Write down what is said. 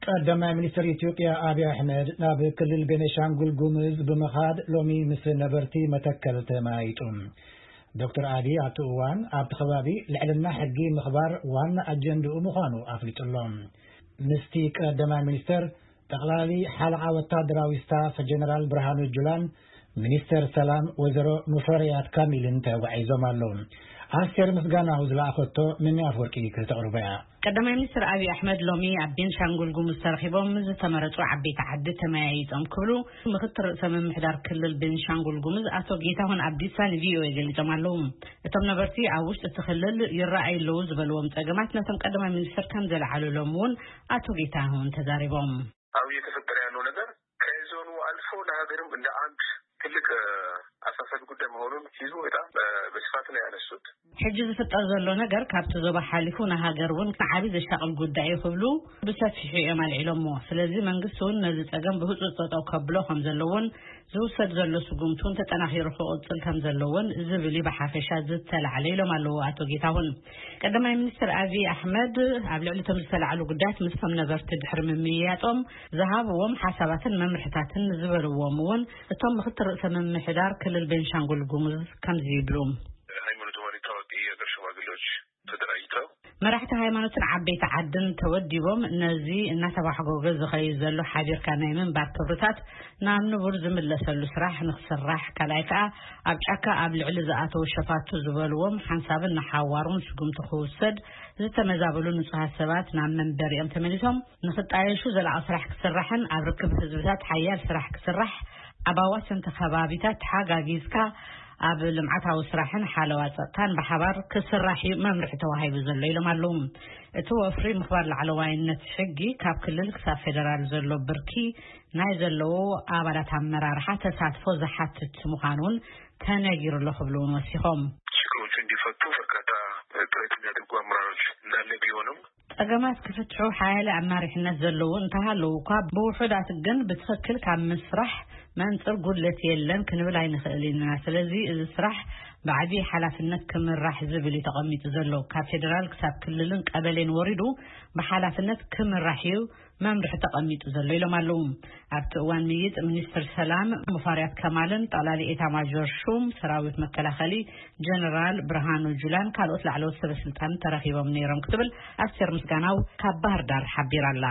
ቀዳማይ ሚኒስትር ኢትዮጵያ ኣብይ ኣሕመድ ናብ ክልል ቤኒሻንጉል ጉምዝ ብምኻድ ሎሚ ምስ ነበርቲ መተከል ተመያይጡ። ዶክተር ኣብይ ኣብቲ እዋን ኣብቲ ከባቢ ልዕልና ሕጊ ምኽባር ዋና ኣጀንድኡ ምዃኑ ኣፍሊጡ ኣሎ። ምስቲ ቀዳማይ ሚኒስትር ጠቕላሊ ሓለቓ ወታደራዊ ስታፍ ጀነራል ብርሃኑ ጁላን ሚኒስተር ሰላም ወይዘሮ ሙፈሪያት ካሚልን ተጓዒዞም ኣለዉ። ኣስቴር ምስጋናው ዝለኣኸቶ ምኒ ኣፍወርቂ ክተቕርቦ እያ። ቀዳማይ ሚኒስትር ኣብይ ኣሕመድ ሎሚ ኣብ ቤንሻንጉል ጉሙዝ ተረኺቦም ምስ ዝተመረጹ ዓበይቲ ዓዲ ተመያይጦም ክብሉ ምክትል ርእሰ ምምሕዳር ክልል ቤንሻንጉል ጉሙዝ ኣቶ ጌታሁን ኣብዲሳ ንቪኦኤ ገሊጾም ኣለዉ። እቶም ነበርቲ ኣብ ውሽጢ እቲ ክልል ይረኣዩ ኣለዉ ዝበልዎም ጸገማት ነቶም ቀዳማይ ሚኒስትር ከም ዘለዓሉሎም እውን ኣቶ ጌታሁን ተዛሪቦም። አሁን እየተፈጠረ ያለው ነገር ከዞኑ አልፎ ለሀገርም እንደ አንድ ትልቅ አሳሳቢ ጉዳይ መሆኑን ህዝቡ በጣም በስፋት ነው ያነሱት። ሕጂ ዝፍጠር ዘሎ ነገር ካብቲ ዞባ ሓሊፉ ንሃገር እውን ዓቢ ዘሻቕል ጉዳይ እዩ ክብሉ ብሰፊሑ እዮም ኣልዒሎሞ። ስለዚ መንግስቲ እውን ነዚ ጸገም ብህጹጽ ጠጠው ከብሎ ከም ዘለዎን ዝውሰድ ዘሎ ስጉምቲ እውን ተጠናኺሩ ክቕጽል ከም ዘለዎን ዝብል እዩ ብሓፈሻ ዝተላዕለ ኢሎም ኣለዉ ኣቶ ጌታሁን። ቀዳማይ ሚኒስትር ኣብይ ኣሕመድ ኣብ ልዕሊ እቶም ዝተላዕሉ ጉዳያት ምስቶም ነበርቲ ድሕሪ ምምይያጦም ዝሃብዎም ሓሳባትን መምርሕታትን ዝበልዎም እውን እቶም ምክትል ርእሰ ምምሕዳር ክልል ቤንሻንጉል ጉሙዝ ከምዚ ይብሉ። ሃይማኖት መሪ ታዋቂ የሀገር ሽማግሌዎች ተደራጅተው መራሕቲ ሃይማኖትን ዓበይቲ ዓድን ተወዲቦም ነዚ እናተባሕጎገ ዝኸይድ ዘሎ ሓቢርካ ናይ ምንባር ክብርታት ናብ ንቡር ዝምለሰሉ ስራሕ ንክስራሕ፣ ካልኣይ ከዓ ኣብ ጫካ ኣብ ልዕሊ ዝኣተው ሸፋቱ ዝበልዎም ሓንሳብን ንሓዋሩን ስጉምቲ ክውሰድ፣ ዝተመዛበሉ ንጹሃት ሰባት ናብ መንበሪኦም ተመሊሶም ንክጣየሹ ዘላቒ ስራሕ ክስራሕን ኣብ ርክብ ህዝብታት ሓያል ስራሕ ክስራሕ፣ ኣብ ኣዋሰንቲ ከባቢታት ተሓጋጊዝካ ኣብ ልምዓታዊ ስራሕን ሓለዋ ጸጥታን ብሓባር ክስራሕ እዩ መምርሒ ተዋሂቡ ዘሎ ኢሎም ኣለዉ። እቲ ወፍሪ ምኽባር ላዕለዋይነት ሕጊ ካብ ክልል ክሳብ ፌደራል ዘሎ ብርኪ ናይ ዘለዎ ኣባላት ኣመራርሓ ተሳትፎ ዝሓትት ምዃኑ እውን ተነጊሩ ኣሎ ክብሉ እውን ወሲኾም። ችግሮቹ እንዲፈቱ በርካታ ጥረት የሚያደርጉ አመራሮች እንዳለ ቢሆንም ጸገማት ክፍትሑ ሓያለ ኣማሪሕነት ዘለዎ እንተሃለዉ እኳ ብውሑዳት ግን ብትኽክል ካብ ምስራሕ መንጽር ጉድለት የለን ክንብል ኣይንኽእል ኢና። ስለዚ እዚ ስራሕ ብዓቢ ሓላፍነት ክምራሕ ዝብል እዩ ተቐሚጡ ዘሎ። ካብ ፌደራል ክሳብ ክልልን ቀበሌን ወሪዱ ብሓላፍነት ክምራሕ እዩ መምርሒ ተቐሚጡ ዘሎ ኢሎም ኣለዉ። ኣብቲ እዋን ምይጥ ሚኒስትር ሰላም ሙፋሪያት ከማልን ጠቕላሊ ኤታ ማጆር ሹም ሰራዊት መከላኸሊ ጀነራል ብርሃኑ ጁላን ካልኦት ላዕለዎት ሰበስልጣን ተረኺቦም ነይሮም ክትብል ኣስቴር ምስጋናው ካብ ባህር ዳር ሓቢራ ኣላ።